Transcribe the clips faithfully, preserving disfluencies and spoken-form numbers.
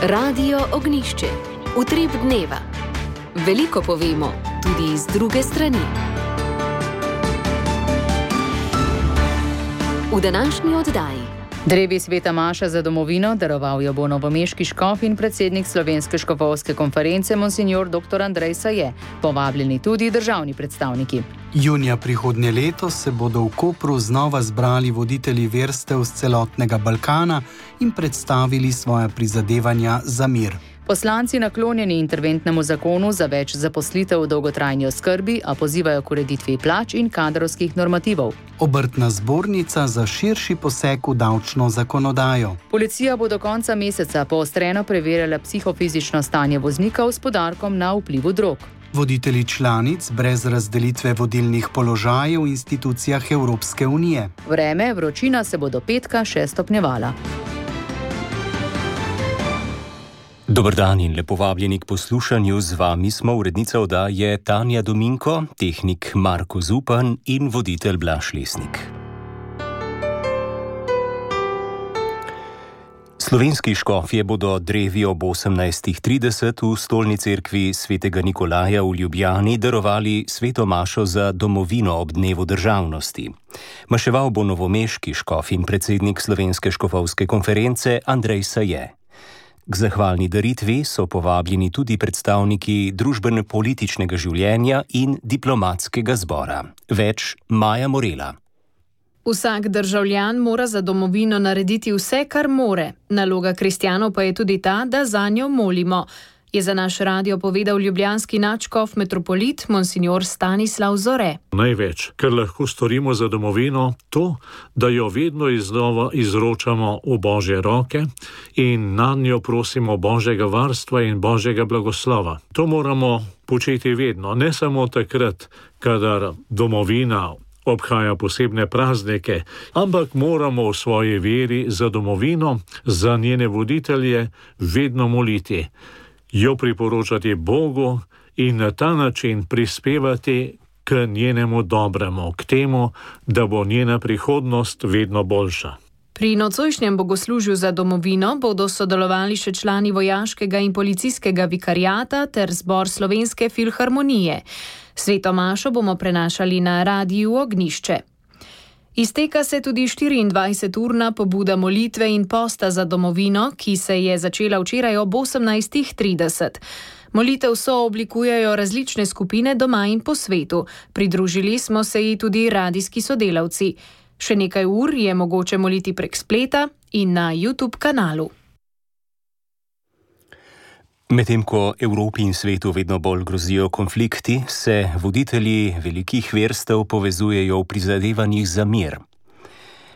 Radio Ognišče, utrip dneva. Veliko povemo, tudi iz druge strani. V današnji oddaji. Drevi sveta maša za domovino daroval jo bo novomeški škof in predsednik Slovenske škofovske konference monsignor doktor Andrej Saje, povabljeni tudi državni predstavniki. Junija prihodnje leto se bodo v Kopru znova zbrali voditelji verstev z celotnega Balkana in predstavili svoja prizadevanja za mir. Poslanci naklonjeni interventnemu zakonu za več zaposlitev v dolgotrajni oskrbi, a pozivajo k ureditvi plač in kadrovskih normativov. Obrtna zbornica za širši poseg v davčno zakonodajo. Policija bo do konca meseca poostreno preverjala psihofizično stanje voznikov s poudarkom na vplivu drog. Voditelji članic brez razdelitve vodilnih položajev v institucijah Evropske unije. Vreme, vročina se bo do petka še stopnjevala. Dober dan in lepo vabljeni k poslušanju. Z vami smo urednica oddaje Tanja Dominko, tehnik Marko Zupan in voditelj Blaž Lesnik. Slovenski škofje bodo drevi ob osemnajstih trideset v stolni cerkvi svetega Nikolaja v Ljubljani darovali sveto mašo za domovino ob dnevu državnosti. Maševal bo novomeški škof in predsednik Slovenske škofovske konference Andrej Saje. K zahvalni daritvi so povabljeni tudi predstavniki družbeno-političnega življenja in diplomatskega zbora. Več Maja Morela. Vsak državljan mora za domovino narediti vse, kar more. Naloga kristjanov pa je tudi ta, da zanjo molimo, je za naš radio povedal ljubljanski nadškof metropolit monsignor Stanislav Zore. Največ, kar lahko storimo za domovino, to, da jo vedno iznova izročamo v Božje roke in nanjo prosimo Božjega varstva in Božjega blagoslova. To moramo početi vedno, ne samo takrat, kadar domovina obhaja posebne praznike, ampak moramo v svoji veri za domovino, za njene voditelje vedno moliti, jo priporočati Bogu in na ta način prispevati k njenemu dobremu, k temu, da bo njena prihodnost vedno boljša. Pri nocojšnjem bogoslužju za domovino bodo sodelovali še člani vojaškega in policijskega vikariata ter zbor Slovenske filharmonije. Sveto mašo bomo prenašali na Radiu Ognišče. Izteka se tudi štiriindvajseturna pobuda molitve in posta za domovino, ki se je začela včeraj ob osemnajstih trideset. Molitev so oblikujejo različne skupine doma in po svetu. Pridružili smo se ji tudi radijski sodelavci. Še nekaj ur je mogoče moliti prek spleta in na YouTube kanalu. Medtem ko Evropi in svetu vedno bolj grozijo konflikti, se voditelji velikih verstev povezujejo v prizadevanjih za mir.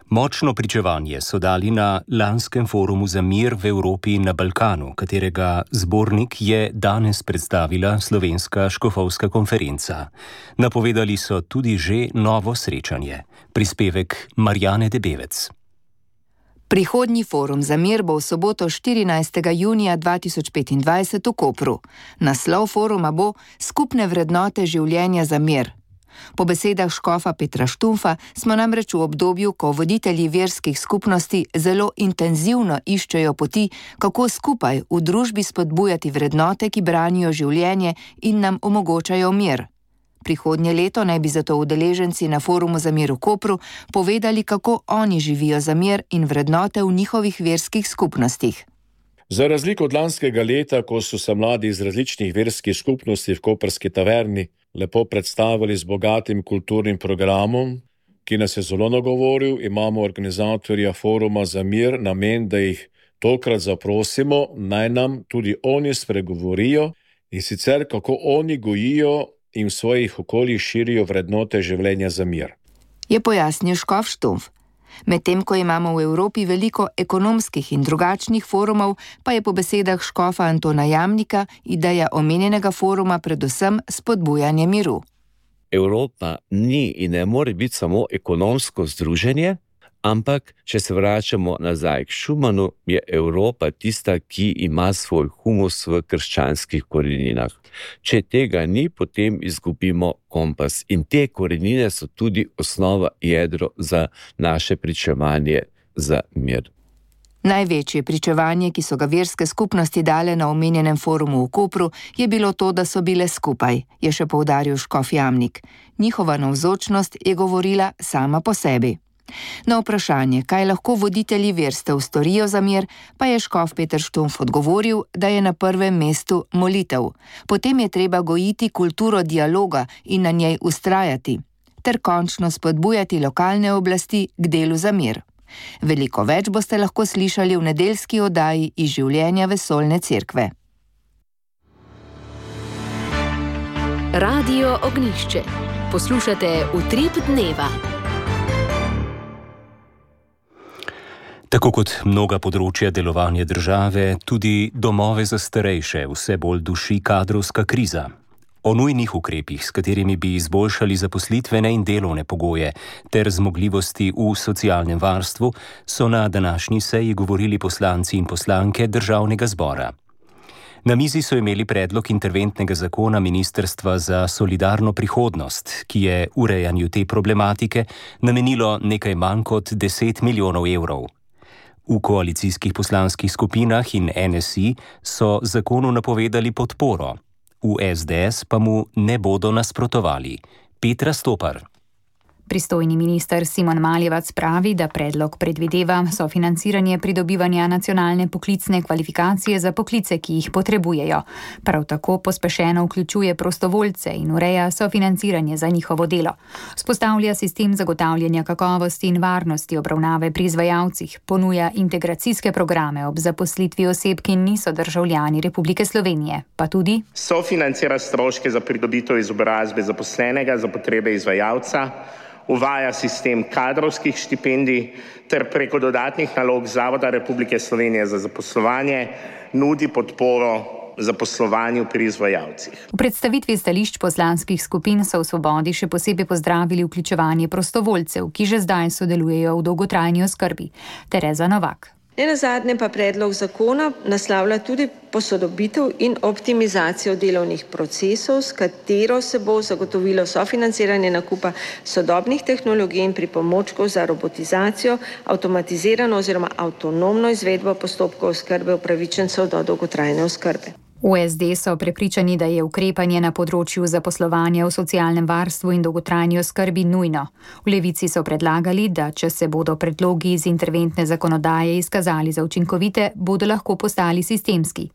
Močno pričevanje so dali na lanskem forumu za mir v Evropi in na Balkanu, katerega zbornik je danes predstavila Slovenska škofovska konferenca. Napovedali so tudi že novo srečanje. Prispevek Marjane Debevec. Prihodnji forum za mir bo v soboto štirinajstega junija dva tisoč petindvajset v Kopru. Naslov foruma bo Skupne vrednote življenja za mir. Po besedah škofa Petra Štumfa smo namreč v obdobju, ko voditelji verskih skupnosti zelo intenzivno iščejo poti, kako skupaj v družbi spodbujati vrednote, ki branijo življenje in nam omogočajo mir. Prihodnje leto naj bi zato udeleženci na forumu za mir v Kopru povedali, kako oni živijo za mir in vrednote v njihovih verskih skupnostih. Za razliko od lanskega leta, ko so se mladi iz različnih verskih skupnosti v koprski taverni lepo predstavili z bogatim kulturnim programom, ki nas je zelo nagovoril, imamo organizatorja foruma za mir namen, da jih tokrat zaprosimo, naj nam tudi oni spregovorijo in sicer kako oni gojijo in v svojih okoljih širijo vrednote življenja za mir. Je pojasnil škof Štumf. Medtem ko imamo v Evropi veliko ekonomskih in drugačnih forumov, pa je po besedah škofa Antona Jamnika ideja omenjenega foruma predvsem spodbujanje miru. Evropa ni in ne more biti samo ekonomsko združenje, ampak če se vračamo nazaj k Schumanu, je Evropa tista, ki ima svoj humus v krščanskih koreninah. Če tega ni, potem izgubimo kompas. In te korenine so tudi osnova, jedro za naše pričevanje za mir. Največje pričevanje, ki so ga verske skupnosti dale na omenjenem forumu v Kopru, je bilo to, da so bile skupaj, je še poudaril škof Jamnik. Njihova navzočnost je govorila sama po sebi. Na vprašanje, kaj lahko voditelji verstev storijo za mir, pa je škof Peter Štumpf odgovoril, da je na prvem mestu molitev. Potem je treba gojiti kulturo dialoga in na njej ustrajati, ter končno spodbujati lokalne oblasti k delu za mir. Veliko več boste lahko slišali v nedeljski oddaji iz življenja Vesoljne cerkve. Radio Ognjišče. Poslušate Utrip dneva. Tako kot mnoga področja delovanja države, tudi domove za starejše vse bolj duši kadrovska kriza. O nujnih ukrepih, s katerimi bi izboljšali zaposlitvene in delovne pogoje ter zmogljivosti v socialnem varstvu, so na današnji seji govorili poslanci in poslanke Državnega zbora. Na mizi so imeli predlog interventnega zakona Ministrstva za solidarno prihodnost, ki je urejanju te problematike namenilo nekaj manj kot deset milijonov evrov. V koalicijskih poslanskih skupinah in N S I so zakonu napovedali podporo. V S D S pa mu ne bodo nasprotovali. Petra Stopar. Pristojni minister Simon Maljevac pravi, da predlog predvideva sofinanciranje pridobivanja nacionalne poklicne kvalifikacije za poklice, ki jih potrebujejo. Prav tako pospešeno vključuje prostovoljce in ureja sofinanciranje za njihovo delo. Vzpostavlja sistem zagotavljanja kakovosti in varnosti obravnave pri izvajalcih, ponuja integracijske programe ob zaposlitvi oseb, ki niso državljani Republike Slovenije, pa tudi sofinancira stroške za pridobitev izobrazbe zaposlenega za potrebe izvajalca, uvaja sistem kadrovskih štipendij ter preko dodatnih nalog Zavoda Republike Slovenije za zaposlovanje nudi podporo zaposlovanju pri izvajalcih. V predstavitvi stališč poslanskih skupin so v Svobodi še posebej pozdravili vključevanje prostovoljcev, ki že zdaj sodelujejo v dolgotrajni oskrbi. Tereza Novak. Nenazadnje pa predlog zakona naslavlja tudi posodobitev in optimizacijo delovnih procesov, s katero se bo zagotovilo sofinanciranje nakupa sodobnih tehnologij in pripomočkov za robotizacijo, avtomatizirano oziroma avtonomno izvedbo postopkov oskrbe upravičencev do dolgotrajne oskrbe. V S D so prepričani, da je ukrepanje na področju zaposlovanja v socialnem varstvu in dolgotrajni oskrbi nujno. V Levici so predlagali, da če se bodo predlogi iz interventne zakonodaje izkazali za učinkovite, bodo lahko postali sistemski.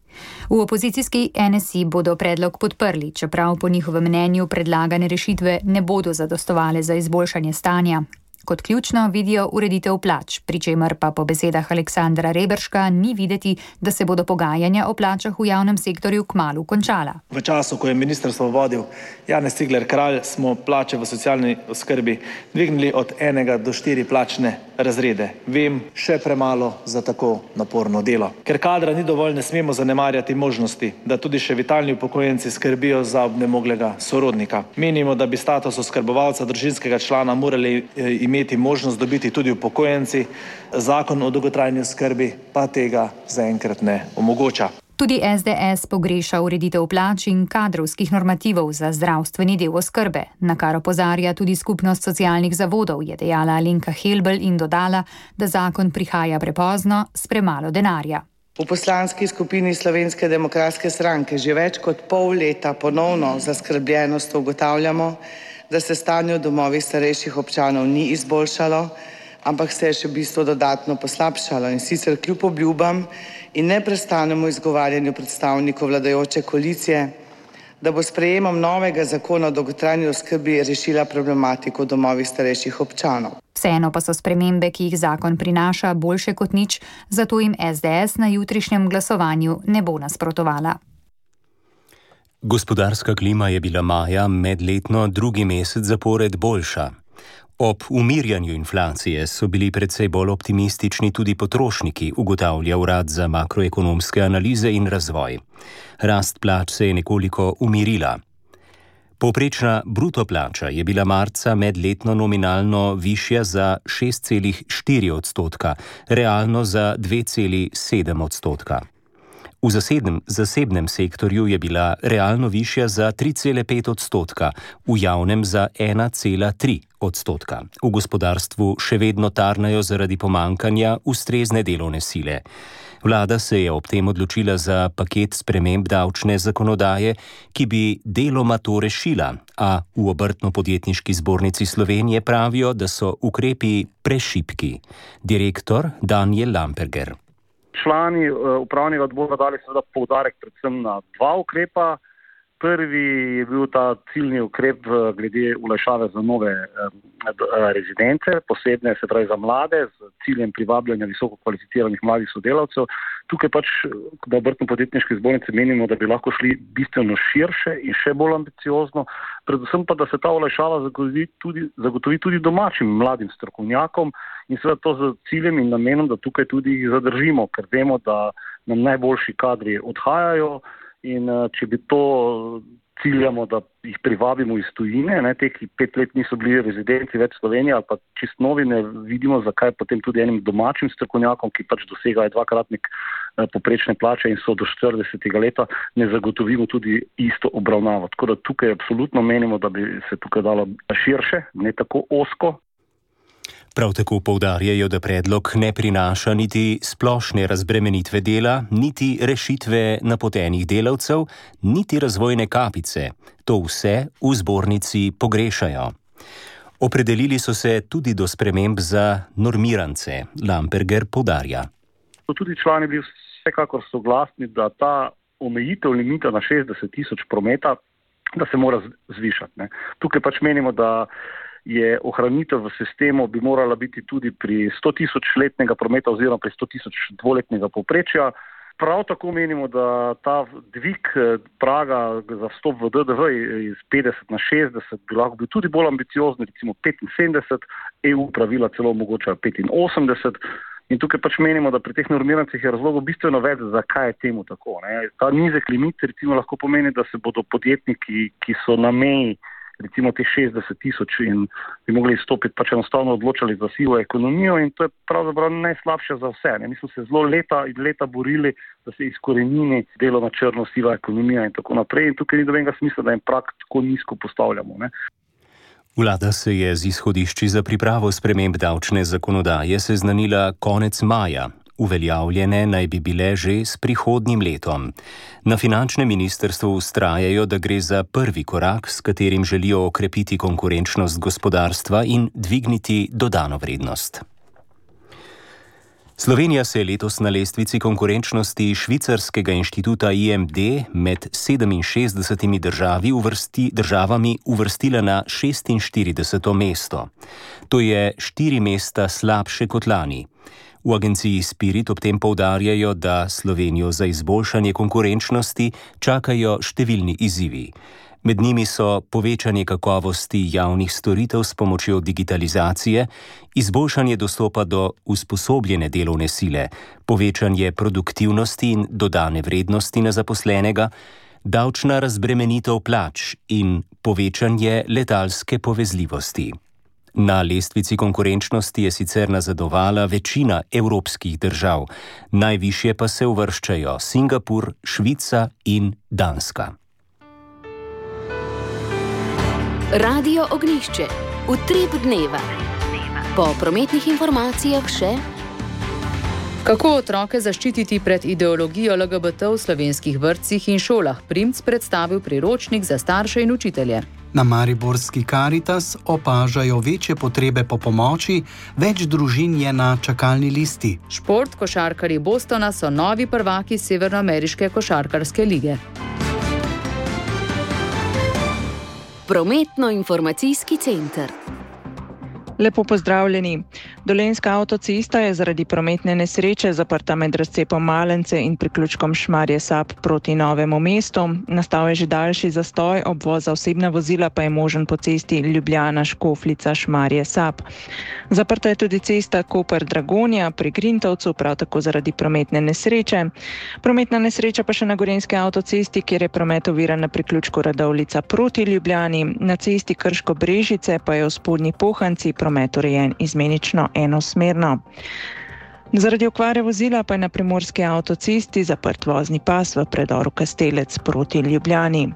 V opozicijski N S I bodo predlog podprli, čeprav po njihovem mnenju predlagane rešitve ne bodo zadostovale za izboljšanje stanja. Kot ključno vidijo ureditev plač, pri čemer pa po besedah Aleksandra Reberška ni videti, da se bodo pogajanja o plačah v javnem sektorju kmalu končala. V času, ko je ministrstvo vodil Janez Cigler Kralj, smo plače v socialni oskrbi dvignili od enega do štiri plačne razrede. Vem, še premalo za tako naporno delo. Ker kadra ni dovolj, ne smemo zanemarjati možnosti, da tudi še vitalni upokojenci skrbijo za obnemoglega sorodnika. Menimo, da bi status oskrbovalca družinskega člana morali imeti možnost dobiti tudi upokojenci, zakon o dolgotrajni oskrbi pa tega zaenkrat ne omogoča. Tudi S D S pogreša ureditev plač in kadrovskih normativov za zdravstveni del oskrbe, na kar opozarja tudi skupnost socialnih zavodov, je dejala Alenka Helbl in dodala, da zakon prihaja prepozno s premalo denarja. V poslanski skupini Slovenske demokratske stranke že več kot pol leta ponovno zaskrbljenost ugotavljamo, da se stanje v domovih starejših občanov ni izboljšalo, ampak se je še v bistvu dodatno poslabšalo, in sicer kljub obljubam in neprestanemu izgovarjanju predstavnikov vladajoče koalicije, da bo sprejemom novega zakona o dolgotrajni oskrbi rešila problematiko v domovih starejših občanov. Vseeno pa so spremembe, ki jih zakon prinaša, boljše kot nič, zato jim S D S na jutrišnjem glasovanju ne bo nasprotovala. Gospodarska klima je bila maja medletno drugi mesec zapored boljša. Ob umirjanju inflacije so bili precej bolj optimistični tudi potrošniki, ugotavlja Urad za makroekonomske analize in razvoj. Rast plač se je nekoliko umirila. Povprečna bruto plača je bila marca medletno nominalno višja za šest celih štiri odstotka, realno za dve celih sedem odstotka. V zasebnem, zasebnem sektorju je bila realno višja za tri cele pet odstotka, v javnem za ena cela tri odstotka. V gospodarstvu še vedno tarnajo zaradi pomankanja ustrezne delovne sile. Vlada se je ob tem odločila za paket sprememb davčne zakonodaje, ki bi deloma to rešila, a v Obrtno-podjetniški zbornici Slovenije pravijo, da so ukrepi prešibki. Direktor Daniel Lamperger. Člani upravnega odbora dali seveda poudarek predvsem na dva ukrepa. Prvi je bil ta ciljni ukrep glede olajšave za nove rezidence, posebne se pravi za mlade, z ciljem privabljanja visoko kvalificiranih mladih sodelavcev. Tukaj pač na Obrtno-podjetniški zbornici menimo, da bi lahko šli bistveno širše in še bolj ambiciozno, predvsem pa, da se ta olajšava zagotovi tudi, zagotovi tudi domačim mladim strokovnjakom in seveda to z ciljem in namenom, da tukaj tudi jih zadržimo, ker vemo, da nam najboljši kadri odhajajo. In če bi to ciljamo, da jih privabimo iz tujine, ne, te, ki pet let niso bili rezidenti več Slovenije ali pa čist novi, ne vidimo, zakaj potem tudi enim domačim strokovnjakom, ki pač dosegajo dvakratnik poprečne plače in so do štiridesetega leta, ne zagotovimo tudi isto obravnavo. Tako da tukaj absolutno menimo, da bi se tukaj dalo širše, ne tako ozko. Prav tako poudarjajo, da predlog ne prinaša niti splošne razbremenitve dela, niti rešitve napotenih delavcev, niti razvojne kapice. To vse v zbornici pogrešajo. Opredelili so se tudi do sprememb za normirance, Lamperger poudarja. So tudi člani bili vsekakor soglasni, da ta omejitev limita na šestdeset tisoč prometa, da se mora zvišati. Ne. Tukaj pač menimo, da je ohranitev v sistemu bi morala biti tudi pri sto tisoč letnega prometa oziroma pri sto tisoč dvoletnega povprečja. Prav tako menimo, da ta dvig praga za vstop v D D V iz petdeset na šestdeset bi lahko bil tudi bolj ambiciozni, recimo petinsedemdeset, E U pravila celo omogočajo petinosemdeset. In tukaj pač menimo, da pri teh normirancih je razlogov bistveno več, zakaj je temu tako. Ne. Ta nizek limit recimo lahko pomeni, da se bodo podjetniki, ki so na meji recimo te šestdeset tisoč in bi mogli izstopiti, pač enostavno odločali za sivo ekonomijo in to je pravzaprav najslabše za vse. Ne. Mi smo se zelo leta in leta borili, da se izkorenini delo na črno, siva ekonomija in tako naprej in tukaj ni dobenega smisla, da jim prak tako nizko postavljamo. Ne. Vlada se je z izhodišči za pripravo sprememb davčne zakonodaje seznanila konec maja. Uveljavljene naj bi bile že s prihodnjim letom. Na finančnem ministrstvu vztrajajo, da gre za prvi korak, s katerim želijo okrepiti konkurenčnost gospodarstva in dvigniti dodano vrednost. Slovenija se je letos na lestvici konkurenčnosti švicarskega inštituta I M D med sedeminšestdesetimi državi uvrsti, državami uvrstila na šestinštirideseto mesto. To je štiri mesta slabše kot lani. V agenciji Spirit ob tem poudarjajo, da Slovenijo za izboljšanje konkurenčnosti čakajo številni izzivi. Med njimi so povečanje kakovosti javnih storitev s pomočjo digitalizacije, izboljšanje dostopa do usposobljene delovne sile, povečanje produktivnosti in dodane vrednosti na zaposlenega, davčna razbremenitev plač in povečanje letalske povezljivosti. Na lestvici konkurenčnosti je sicer nazadovala večina evropskih držav, najvišje pa se uvrščajo Singapur, Švica in Danska. Radio Ognjišče, utrip dneva. Po prometnih informacijah še: Kako otroke zaščititi pred ideologijo L G B T v slovenskih vrtcih in šolah? Primc predstavil priročnik za starše in učitelje. Na mariborski Karitas opažajo večje potrebe po pomoči, več družin je na čakalni listi. Šport, košarkarji Bostona so novi prvaki Severnoameriške košarkarske lige. Prometno-informacijski center. Lepo pozdravljeni. Dolenjska avtocesta je zaradi prometne nesreče zaprta med razcepom Malence in priključkom Šmarje-Sap proti Novemu mestu. Nastal je že daljši zastoj, obvoz za osebna vozila pa je možen po cesti Ljubljana-Škofljica-Šmarje-Sap. Zaprta je tudi cesta Koper-Dragonja pri Grintovcu, prav tako zaradi prometne nesreče. Prometna nesreča pa še na Gorenjski avtocesti, kjer je promet oviran na priključku Radovljica proti Ljubljani. Na cesti Krško-Brežice pa je v Spodnji Pohanci promet urejen izmenično enosmerno. Zaradi okvare vozila pa je na primorski avtocesti zaprt vozni pas v predoru Kastelec proti Ljubljani.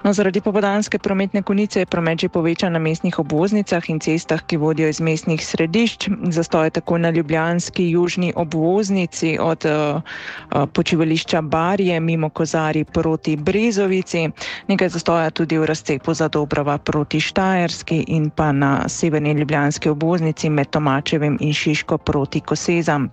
No, zaradi popoldanske prometne konice je promet že povečan na mestnih obvoznicah in cestah, ki vodijo iz mestnih središč. Zastoj je tako na ljubljanski južni obvoznici od uh, počivališča Barje mimo Kozarij proti Brezovici. Nekaj zastoja tudi v razcepu Zadobrova proti Štajerski in pa na severni ljubljanski obvoznici med Tomačevim in Šiško proti Kosezam.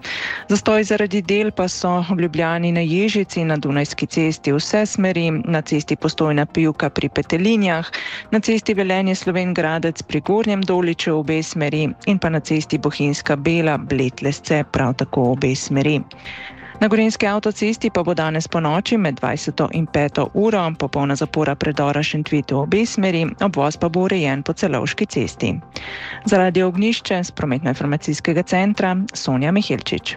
Zastoj zaradi del pa so v Ljubljani na Ježici, na Dunajski cesti vse smeri, na cesti Postojna Pivka pri Petelinjah, na cesti Velenje Slovenj Gradec pri Gornjem Doliču obe smeri in pa na cesti Bohinjska Bela Blet-Lesce prav tako obe smeri. Na gorenjski avtocesti pa bo danes po noči med dvajseto in peto uro popolna zapora predora Šentvid v obe smeri, obvoz pa bo urejen po Celovški cesti. Zaradi ognjišče z prometno-informacijskega centra Sonja Mihelčič.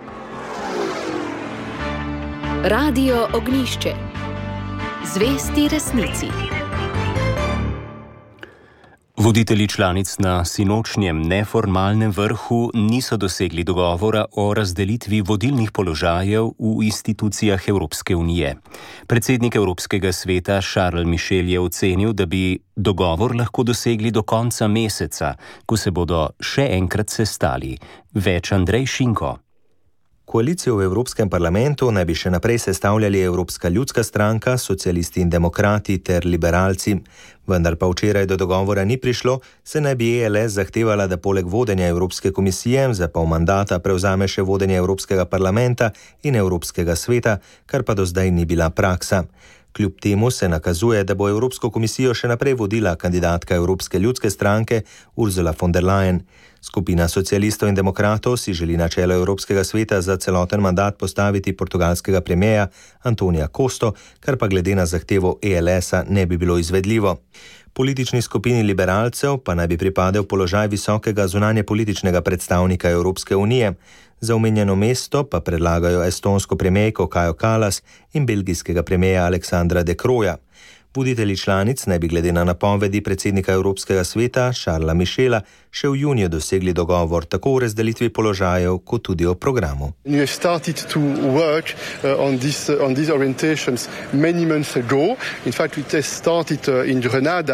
Radio Ognjišče. Zvesti resnici. Voditelji članic na sinočnjem neformalnem vrhu niso dosegli dogovora o razdelitvi vodilnih položajev v institucijah Evropske unije. Predsednik Evropskega sveta Charles Michel je ocenil, da bi dogovor lahko dosegli do konca meseca, ko se bodo še enkrat sestali. Več Andrej Šinko. Koalicijo v Evropskem parlamentu naj bi še naprej sestavljali Evropska ljudska stranka, socialisti in demokrati ter liberalci. Vendar pa včeraj do dogovora ni prišlo, se naj bi E L S zahtevala, da poleg vodenja Evropske komisije za pol mandata prevzame še vodenje Evropskega parlamenta in Evropskega sveta, kar pa do zdaj ni bila praksa. Kljub temu se nakazuje, da bo Evropsko komisijo še naprej vodila kandidatka Evropske ljudske stranke Ursula von der Leyen. Skupina socialistov in demokratov si želi na čelo Evropskega sveta za celoten mandat postaviti portugalskega premierja Antonija Costo, kar pa glede na zahtevo E L S-a ne bi bilo izvedljivo. Politični skupini liberalcev pa naj bi pripadel položaj visokega zunanje političnega predstavnika Evropske unije. Za omenjeno mesto pa predlagajo estonsko premierko Kajo Kallas in belgijskega premierja Aleksandra De Crooja. Voditelji članic naj bi glede na napovedi predsednika Evropskega sveta Charlesa Michela še v juniju dosegli dogovor tako o razdelitvi položajev kot tudi o programu.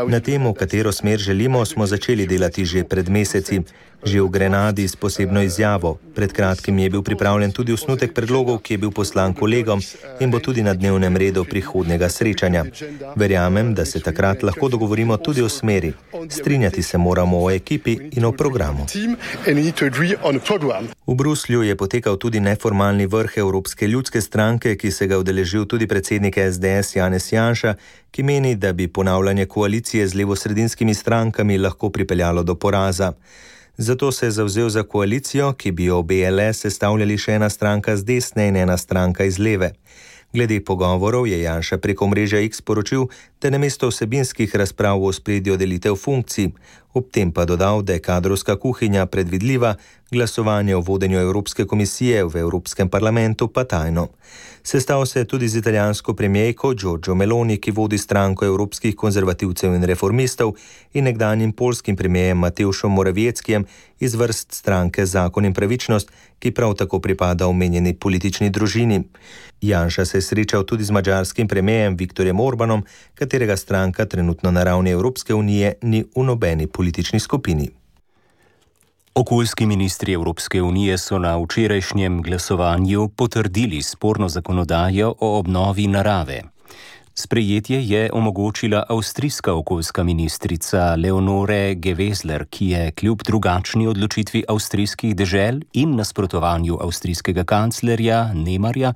Na temo, katero smer želimo, smo začeli delati že pred meseci. Že v Grenadi s posebno izjavo. Pred kratkim je bil pripravljen tudi osnutek predlogov, ki je bil poslan kolegom in bo tudi na dnevnem redu prihodnjega srečanja. Verjamem, da se takrat lahko dogovorimo tudi o smeri. Strinjati se moramo o ekipi in o programu. V Bruslju je potekal tudi neformalni vrh Evropske ljudske stranke, ki se ga udeležil tudi predsednik S D S Janez Janša, ki meni, da bi ponavljanje koalicije z levosredinskimi strankami lahko pripeljalo do poraza. Zato se je zavzel za koalicijo, ki bi jo B L S sestavljali še ena stranka z desne in ena stranka iz leve. Glede pogovorov je Janša preko mreže X poročil, da namesto vsebinskih razprav o ospredju delitev funkcij, ob tem pa dodal, da je kadrovska kuhinja predvidljiva, glasovanje o vodenju Evropske komisije v Evropskem parlamentu pa tajno. Sestal se je tudi z italijansko premierko Giorgio Meloni, ki vodi stranko evropskih konzervativcev in reformistov, in nekdanjim poljskim premierjem Mateuszem Morawieckim iz vrst stranke Zakon in pravičnost, ki prav tako pripada omenjeni politični družini. Janša se je srečal tudi z madžarskim premierjem Viktorjem Orbanom, katerega stranka trenutno na ravni Evropske unije ni v nobeni politični skupini. Okoljski ministri Evropske unije so na včerajšnjem glasovanju potrdili sporno zakonodajo o obnovi narave. Sprejetje je omogočila avstrijska okoljska ministrica Leonore Gewessler, ki je kljub drugačni odločitvi avstrijskih dežel in nasprotovanju avstrijskega kanclerja Nemarja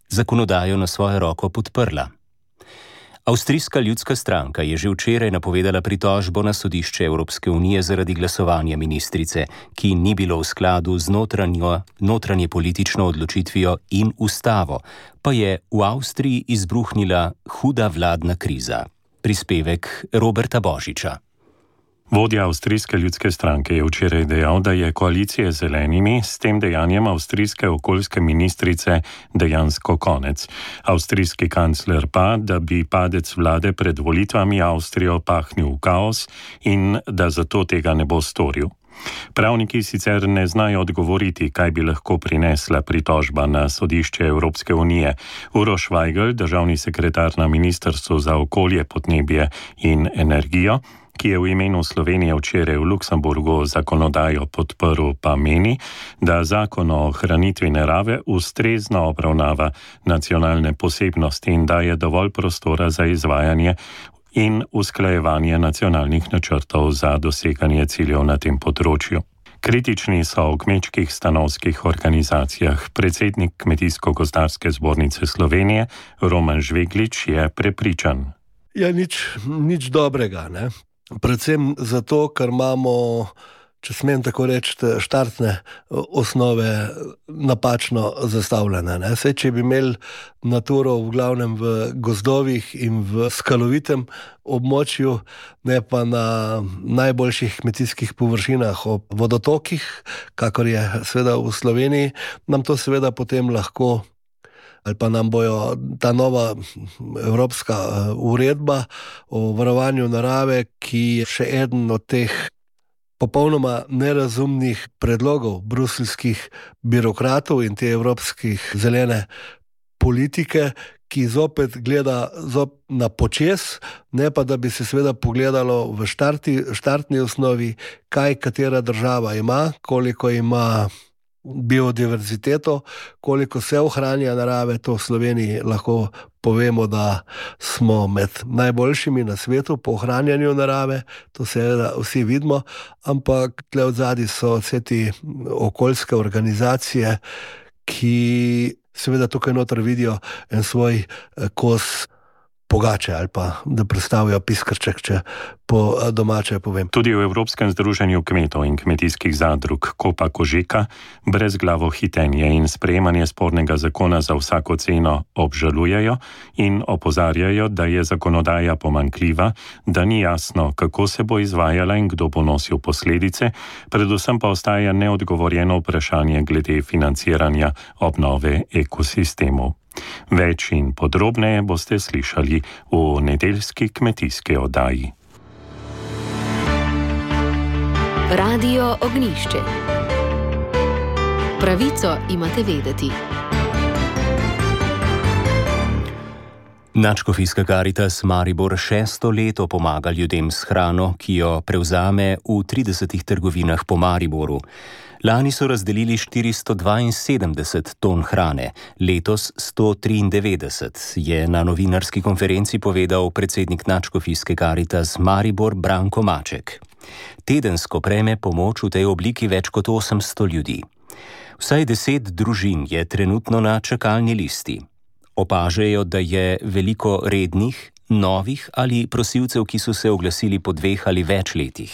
zakonodajo na svojo roko podprla. Avstrijska ljudska stranka je že včeraj napovedala pritožbo na sodišče Evropske unije zaradi glasovanja ministrice, ki ni bilo v skladu z notranjo, notranje politično odločitvijo in ustavo, pa je v Avstriji izbruhnila huda vladna kriza. Prispevek Roberta Božiča. Vodja avstrijske ljudske stranke je včeraj dejal, da je koalicija z zelenimi s tem dejanjem avstrijske okoljske ministrice dejansko konec. Avstrijski kancler pa, da bi padec vlade pred volitvami Avstrijo pahnil v kaos in da zato tega ne bo storil. Pravniki sicer ne znajo odgovoriti, kaj bi lahko prinesla pritožba na sodišče Evropske unije. Uroš Vajgl, državni sekretar na Ministrstvu za okolje, podnebje in energijo, ki je v imenu Slovenije včeraj v Luksemburgu zakonodajo podprl, pa meni, da zakon o ohranitvi narave ustrezno obravnava nacionalne posebnosti in daje dovolj prostora za izvajanje in usklajevanje nacionalnih načrtov za doseganje ciljev na tem področju. Kritični so v kmečkih stanovskih organizacijah. Predsednik Kmetijsko-gozdarske zbornice Slovenije Roman Žveglič je prepričan. Ja, nič, nič dobrega, ne? Predvsem zato, ker imamo, če smem tako reči, štartne osnove napačno zastavljene. Ne? Sej, če bi imeli naturo v glavnem v gozdovih in v skalovitem območju, ne pa na najboljših kmetijskih površinah ob vodotokih, kakor je seveda v Sloveniji, nam to seveda potem lahko ali pa nam bojo ta nova evropska uredba o varovanju narave, ki je še eden od teh popolnoma nerazumnih predlogov bruseljskih birokratov in te evropskih zelene politike, ki zopet gleda zop na počes, ne pa da bi se seveda pogledalo v štarti, štartni osnovi, kaj katera država ima, koliko ima biodiverziteto, koliko se ohranja narave. To v Sloveniji lahko povemo, da smo med najboljšimi na svetu po ohranjanju narave, to seveda vsi vidimo, ampak tle odzadi so vse te okoljske organizacije, ki seveda tukaj noter vidijo en svoj kos pogače ali pa da predstavijo piskrček, če po domače povem. Tudi v Evropskem združenju kmetov in kmetijskih zadrug Kopa Kožeka brezglavo hitenje in sprejemanje spornega zakona za vsako ceno obžalujejo in opozarjajo, da je zakonodaja pomanjkljiva, da ni jasno, kako se bo izvajala in kdo bo nosil posledice, predvsem pa ostaja neodgovorjeno vprašanje glede financiranja obnove ekosistemov. Več in podrobneje boste slišali v nedeljski kmetijski oddaji. Radio Ognjišče. Pravico imate vedeti. Nadškofijska Karitas Maribor šesto leto pomaga ljudem s hrano, ki jo prevzame v tridesetih trgovinah po Mariboru. Lani so razdelili štiristo dvainsedemdeset ton hrane, letos sto triindevetdeset, je na novinarski konferenci povedal predsednik Nadškofijske Karitas Maribor Branko Maček. Tedensko prejme pomoč v tej obliki več kot osemsto ljudi. Vsaj deset družin je trenutno na čakalni listi. Opažajo, da je veliko rednih, novih ali prosilcev, ki so se oglasili po dveh ali več letih.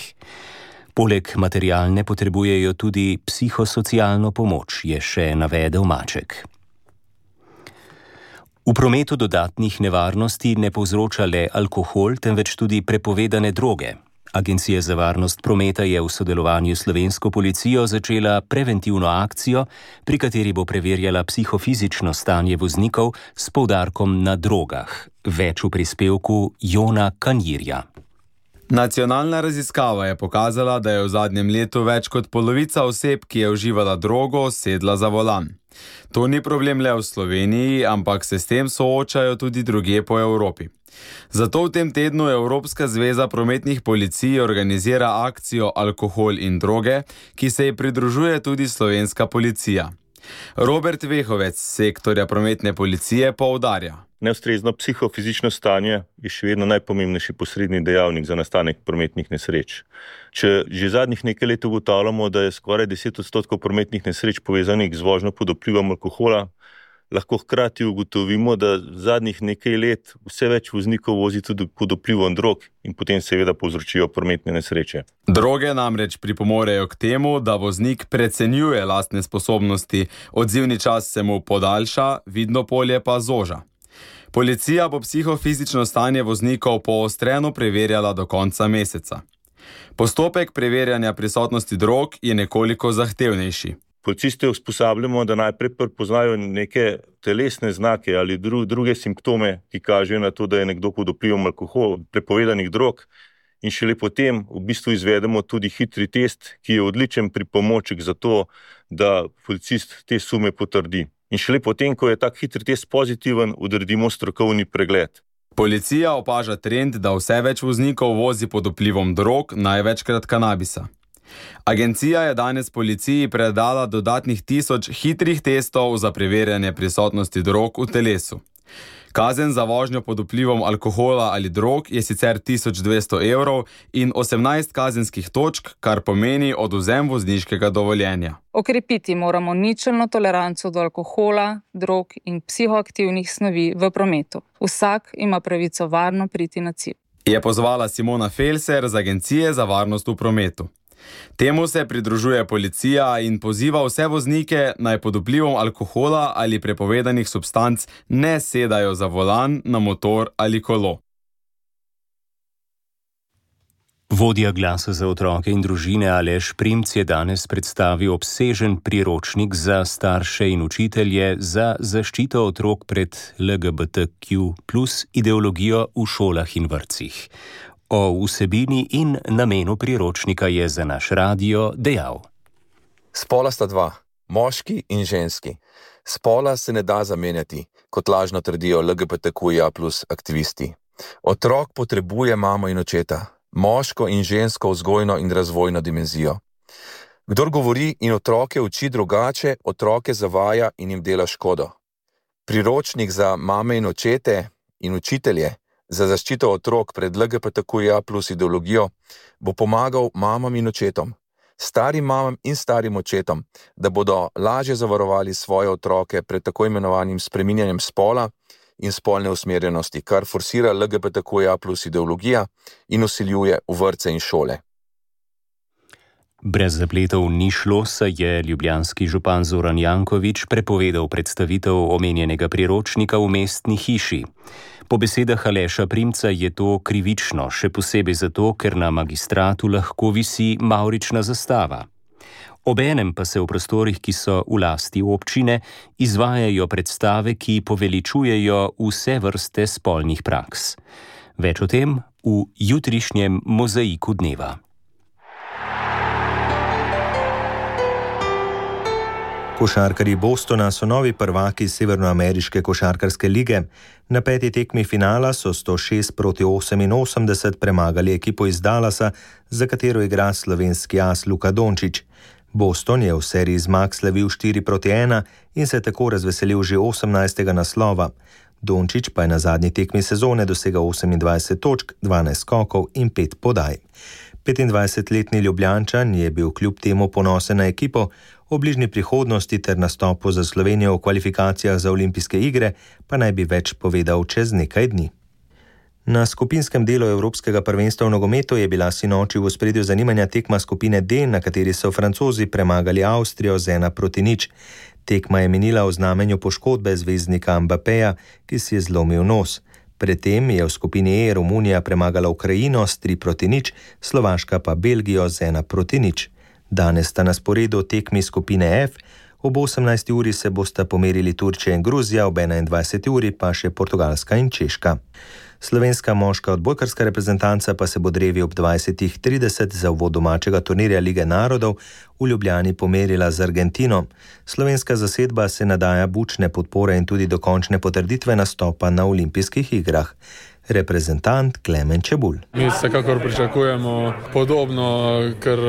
Poleg materialne potrebujejo tudi psihosocialno pomoč, je še navedel Maček. V prometu dodatnih nevarnosti ne povzroča le alkohol, temveč tudi prepovedane droge. Agencija za varnost prometa je v sodelovanju s slovensko policijo začela preventivno akcijo, pri kateri bo preverjala psihofizično stanje voznikov s poudarkom na drogah. Več v prispevku Jona Kanjirja. Nacionalna raziskava je pokazala, da je v zadnjem letu več kot polovica oseb, ki je uživala drogo, sedla za volan. To ni problem le v Sloveniji, ampak se s tem soočajo tudi drugje po Evropi. Zato v tem tednu Evropska zveza prometnih policij organizira akcijo Alkohol in droge, ki se ji pridružuje tudi slovenska policija. Robert Vehovec z sektorja prometne policije poudarja. Neustrezno psihofizično stanje je še vedno najpomembnejši posredni dejavnik za nastanek prometnih nesreč. Če že zadnjih nekaj let ugotavljamo, da je skoraj deset odstotkov prometnih nesreč povezanih z vožnjo pod vplivom alkohola, lahko hkrati ugotovimo, da zadnjih nekaj let vse več voznikov vozi tudi pod vplivom drog in potem seveda povzročijo prometne nesreče. Droge namreč pripomorejo k temu, da voznik precenjuje lastne sposobnosti, odzivni čas se mu podaljša, vidno polje pa zoža. Policija bo psihofizično stanje voznikov poostreno preverjala do konca meseca. Postopek preverjanja prisotnosti drog je nekoliko zahtevnejši. Policiste usposabljamo, da najprej prepoznajo neke telesne znake ali dru, druge simptome, ki kažejo na to, da je nekdo pod vplivom alkohola, prepovedanih drog, in šele potem v bistvu izvedemo tudi hitri test, ki je odličen pripomoček za to, da policist te sume potrdi. In šele potem, ko je tak hitri test pozitiven, odredimo strokovni pregled. Policija opaža trend, da vse več voznikov vozi pod vplivom drog, največkrat kanabisa. Agencija je danes policiji predala dodatnih tisoč hitrih testov za preverjanje prisotnosti drog v telesu. Kazen za vožnjo pod vplivom alkohola ali drog je sicer tisoč dvesto evrov in osemnajst kazenskih točk, kar pomeni odvzem vozniškega dovoljenja. Okrepiti moramo ničelno toleranco do alkohola, drog in psihoaktivnih snovi v prometu. Vsak ima pravico varno priti na cilj. Je pozvala Simona Felser z Agencije za varnost v prometu. Temu se pridružuje policija in poziva vse voznike, naj pod vplivom alkohola ali prepovedanih substanc ne sedajo za volan, na motor ali kolo. Vodja Glasa za otroke in družine Aleš Primc je danes predstavil obsežen priročnik za starše in učitelje za zaščito otrok pred L G B T Q plus ideologijo v šolah in vrtcih. O vsebini in namenu priročnika je za naš radio dejal. Spola sta dva, moški in ženski. Spola se ne da zamenjati, kot lažno trdijo L G B T Q I A plus aktivisti. Otrok potrebuje mamo in očeta, moško in žensko vzgojno in razvojno dimenzijo. Kdor govori in otroke uči drugače, otroke zavaja in jim dela škodo. Priročnik za mame in očete in učitelje za zaščito otrok pred L G B T Q I A plus ideologijo bo pomagal mamam in očetom, starim mamam in starim očetom, da bodo lažje zavarovali svoje otroke pred tako imenovanim spreminjanjem spola in spolne usmerjenosti, kar forsira L G B T Q I A plus ideologija in vsiljuje v vrtce in šole. Brez zapletov ni šlo, saj je ljubljanski župan Zoran Janković prepovedal predstavitev omenjenega priročnika v mestni hiši. Po besedah Aleša Primca je to krivično, še posebej zato, ker na magistratu lahko visi mavrična zastava. Obenem pa se v prostorih, ki so v lasti občine, izvajajo predstave, ki poveličujejo vse vrste spolnih praks. Več o tem v jutrišnjem mozaiku dneva. Košarkarji Bostona so novi prvaki Severnoameriške košarkarske lige. Na peti tekmi finala so sto šest proti oseminosemdeset premagali ekipo iz Dallasa, za katero igra slovenski as Luka Dončić. Boston je v seriji zmag slavil štiri proti ena in se tako razveselil že osemnajstega naslova. Dončić pa je na zadnji tekmi sezone dosegal osemindvajset točk, dvanajst skokov in pet podaj. petindvajsetletni Ljubljančan je bil kljub temu ponosen na ekipo, o bližnji prihodnosti ter nastopu za Slovenijo v kvalifikacijah za olimpijske igre pa naj bi več povedal čez nekaj dni. Na skupinskem delu Evropskega prvenstva v nogometu je bila sinoči v ospredju zanimanja tekma skupine D, na kateri so Francozi premagali Avstrijo z ena proti nič. Tekma je minila v znamenju poškodbe zvezdnika Mbappéja, ki si je zlomil nos. Predtem je v skupini E Romunija premagala Ukrajino s tri proti nič, Slovaška pa Belgijo z ena proti nič. Danes sta na sporedu tekmi skupine F, ob osemnajsti uri se bosta pomerili Turčija in Gruzija, ob enaindvajseti uri pa še Portugalska in Češka. Slovenska moška odbojkarska reprezentanca pa se bo drevi ob dvajsetih trideset za uvod domačega turnirja Lige narodov v Ljubljani pomerila z Argentino. Slovenska zasedba se nadaja bučne podpore in tudi dokončne potrditve nastopa na olimpijskih igrah. Reprezentant Klemen Čebulj. Mi vsekakor pričakujemo podobno, ker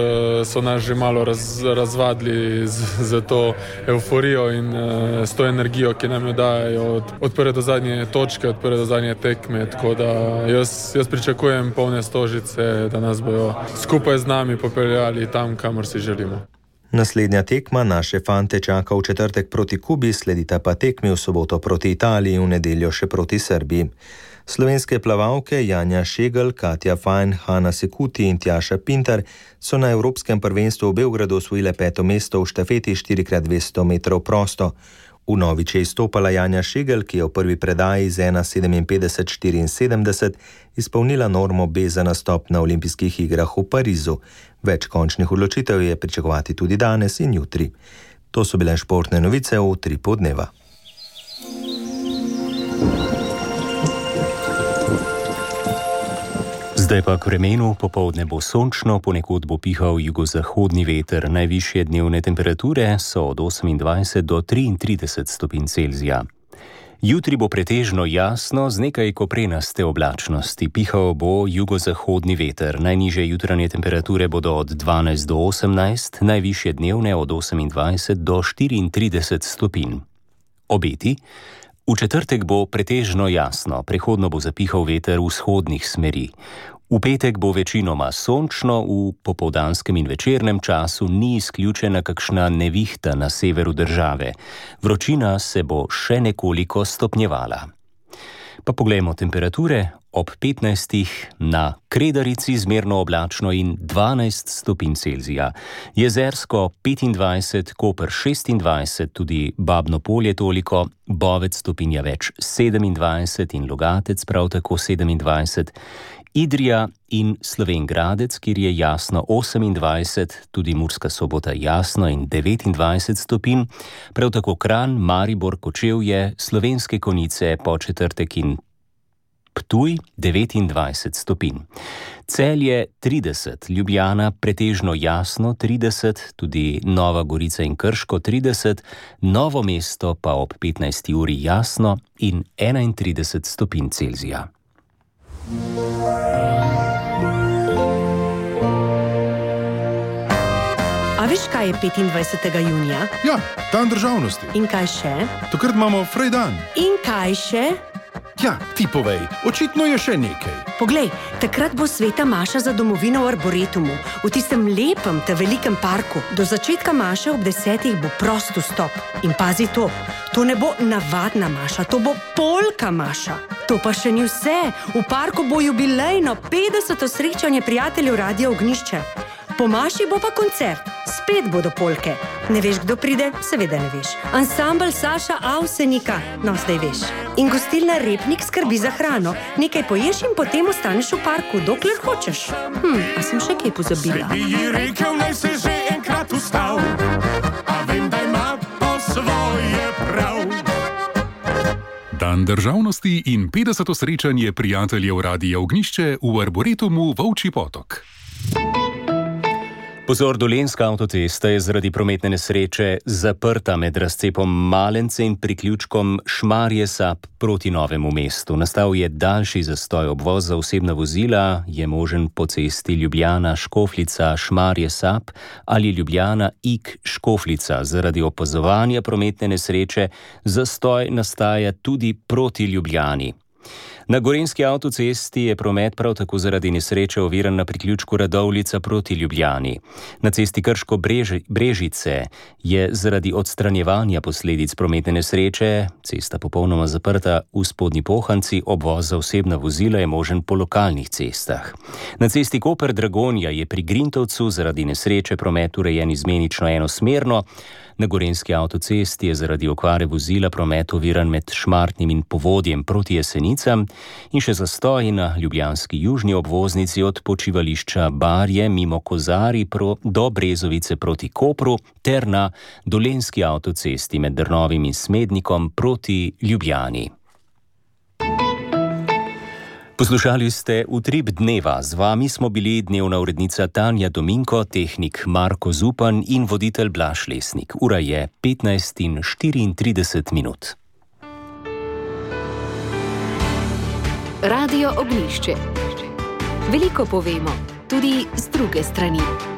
so nas že malo raz, razvadili z, z to euforijo in uh, s to energijo, ki nam jo dajo od, od prve do zadnje točke, od prve do zadnje tekme. Tako da jaz, jaz pričakujem polne stožice, da nas bojo skupaj z nami popeljali tam, kamor si želimo. Naslednja tekma naše fante čaka v četrtek proti Kubi, sledita pa tekmi v soboto proti Italiji, v nedeljo še proti Srbiji. Slovenske plavalke Janja Šegel, Katja Fajn, Hanna Sekuti in Tjaša Pintar so na Evropskem prvenstvu v Beogradu osvojile peto mesto v štafeti štiri krat dvesto metrov prosto. Vnovič je izstopala Janja Šegel, ki je v prvi predaji z ena sedeminpetdeset štiriinsedemdeset izpolnila normo B za nastop na olimpijskih igrah v Parizu. Več končnih odločitev je pričakovati tudi danes in jutri. To so bile športne novice v Utripu dneva. Zdaj pa k vremenu, popoldne bo sončno, ponekod bo pihal jugozahodni veter. Najvišje dnevne temperature so od osemindvajset do triintrideset stopinj Celzija. Jutri bo pretežno jasno z nekaj koprenaste oblačnosti. Pihal bo jugozahodni veter. Najnižje jutranje temperature bodo od dvanajst do osemnajst, najvišje dnevne od osemindvajset do štiriintrideset stopinj. Obeti. V četrtek bo pretežno jasno, prehodno bo zapihal veter vzhodnih smeri. V petek bo večinoma sončno, v popoldanskem in večernem času ni izključena kakšna nevihta na severu države. Vročina se bo še nekoliko stopnjevala. Pa poglejmo temperature. Ob petnajstih na Kredarici zmerno oblačno in dvanajst stopinj Celzija. Jezersko petindvajset, Koper šestindvajset, tudi Babno Polje toliko, Bovec stopinja več sedemindvajset in Logatec prav tako sedemindvajset. Idrija in Slovenj Gradec, kjer je jasno osemindvajset, tudi Murska Sobota jasno in devetindvajset stopinj, prav tako Kranj, Maribor, Kočevje, Slovenske Konjice, Podčetrtek in Ptuj devetindvajset stopinj. Celje trideset, Ljubljana pretežno jasno trideset, tudi Nova Gorica in Krško trideset, Novo mesto pa ob petnajsti uri jasno in enaintrideset stopinj Celzija. A veš, kaj je petindvajsetega junija? Ja, dan državnosti. In kaj še? Takrat imamo Frejdan. In kaj še? Ja, ti povej, očitno je še nekaj. Poglej, takrat bo sveta maša za domovino v Arboretumu, v tistem lepem, te velikem parku. Do začetka maše ob desetih bo prost vstop. In pazi to, to ne bo navadna maša, to bo polka maša. To pa še ni vse, v parku bo jubilejno petdeseto srečanje prijateljev Radia Ognjišče. Po maši bo pa koncert, spet bodo polke. Ne veš, kdo pride? Seveda ne veš. Ansambel Saša Avsenika, no zdaj veš. In gostilna Repnik skrbi za hrano. Nekaj poješ in potem ostaneš v parku, dokler hočeš. Hm, a sem še kaj pozabila? Svet bi ji rekel, naj se že enkrat ustav, a vem, da ima po svoje prav. Dan državnosti in petdeseto srečanje prijateljev Radia Ognjišče v Arboretumu Volčji Potok. Pozor, Dolenjska avtocesta je zaradi prometne nesreče zaprta med razcepom Malence in priključkom Šmarje-Sap proti Novemu mestu. Nastal je daljši zastoj. Obvoz za osebna vozila je možen po cesti Ljubljana-Škofljica Šmarje-Sap ali Ljubljana-Ig-Škofljica. Zaradi opazovanja prometne nesreče zastoj nastaja tudi proti Ljubljani. Na gorenjski avtocesti je promet prav tako zaradi nesreče oviran na priključku Radovljica proti Ljubljani. Na cesti Krško-Brežice je zaradi odstranjevanja posledic prometne nesreče cesta popolnoma zaprta v Spodnji Pohanci, obvoz za osebna vozila je možen po lokalnih cestah. Na cesti Koper-Dragonja je pri Grintovcu zaradi nesreče promet urejen izmenično enosmerno. Na gorenjski avtocesti je zaradi okvare vozila promet oviran med Šmartnim in Povodjem proti Jesenicam in še zastoj na ljubljanski južni obvoznici od počivališča Barje mimo Kozari pro, do Brezovice proti Kopru ter na dolenjski avtocesti med Drnovim in Smednikom proti Ljubljani. Poslušali ste Utrip dneva, z vami smo bili dnevna urednica Tanja Dominko, tehnik Marko Zupan in voditelj Blaž Lesnik. Ura je petnajst in štiriintrideset minut. Radio Ognjišče. Veliko povemo, tudi z druge strani.